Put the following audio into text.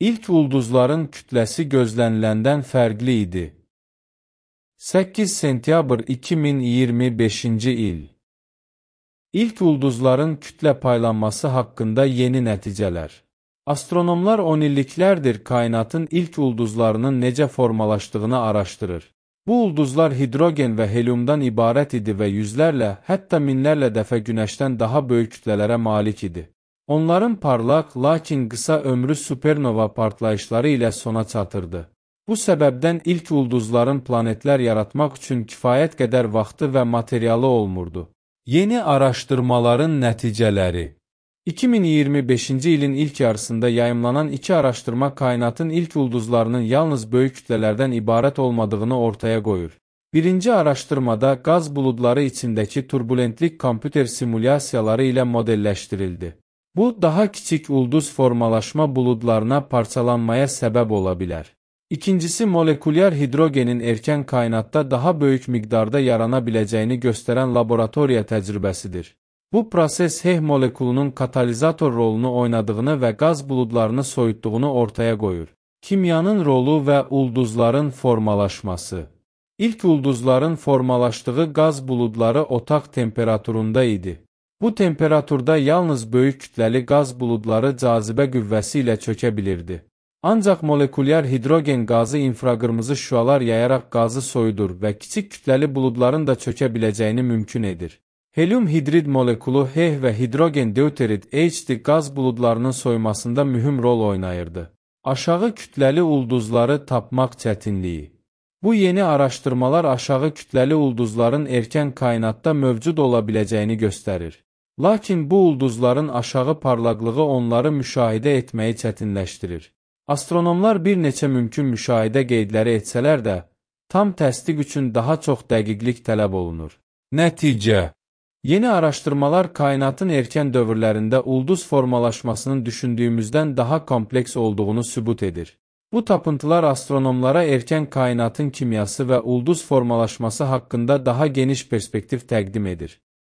İlk ulduzların kütləsi gözləniləndən fərqli idi. 8 sentyabr 2025-ci il. İlk ulduzların kütlə paylanması haqqında yeni nəticələr. Astronomlar 10 illiklərdir kainatın ilk ulduzlarının necə formalaşdığını araşdırır. Bu ulduzlar hidrogen və helyumdan ibarət idi və yüzlərlə, hətta minlərlə dəfə Günəşdən daha böyük kütlələrə malik idi. Onların parlaq, lakin qısa ömrü supernova partlayışları ilə sona çatırdı. Bu səbəbdən ilk ulduzların planetlər yaratmaq üçün kifayət qədər vaxtı və materialı olmurdu. Yeni araşdırmaların nəticələri. 2025-ci ilin ilk yarısında yayımlanan iki araşdırma kainatın ilk ulduzlarının yalnız böyük kütlələrdən ibarət olmadığını ortaya qoyur. Birinci araşdırmada qaz buludları içindəki turbulentlik kompüter simulyasiyaları ilə modelləşdirildi. Bu, daha kiçik ulduz formalaşma buludlarına parçalanmaya səbəb ola bilər. İkincisi, molekulyar hidrogenin erkən kainatda daha böyük miqdarda yarana biləcəyini göstərən laboratoriya təcrübəsidir. Bu proses H molekulunun katalizator rolunu oynadığını və qaz buludlarını soyutduğunu ortaya qoyur. Kimyanın rolu və ulduzların formalaşması. İlk ulduzların formalaşdığı qaz buludları otaq temperaturunda idi. Bu temperaturda yalnız böyük kütləli qaz buludları cazibə qüvvəsi ilə çökə bilirdi. Ancaq molekulyar hidrogen qazı infraqırmızı şüalar yayaraq qazı soyudur və kiçik kütləli buludların da çökə biləcəyini mümkün edir. Helyum hidrid molekulu H və hidrogen deuterid H qaz buludlarının soymasında mühüm rol oynayırdı. Aşağı kütləli ulduzları tapmaq çətinliyi. Bu yeni araşdırmalar aşağı kütləli ulduzların erkən kainatda mövcud ola biləcəyini göstərir. Lakin bu ulduzların aşağı parlaqlığı onları müşahidə etməyi çətinləşdirir. Astronomlar bir neçə mümkün müşahidə qeydləri etsələr də, tam təsdiq üçün daha çox dəqiqlik tələb olunur. Nəticə. Yeni araşdırmalar kainatın erkən dövrlərində ulduz formalaşmasının düşündüyümüzdən daha kompleks olduğunu sübut edir. Bu tapıntılar astronomlara erkən kainatın kimyası və ulduz formalaşması haqqında daha geniş perspektiv təqdim edir.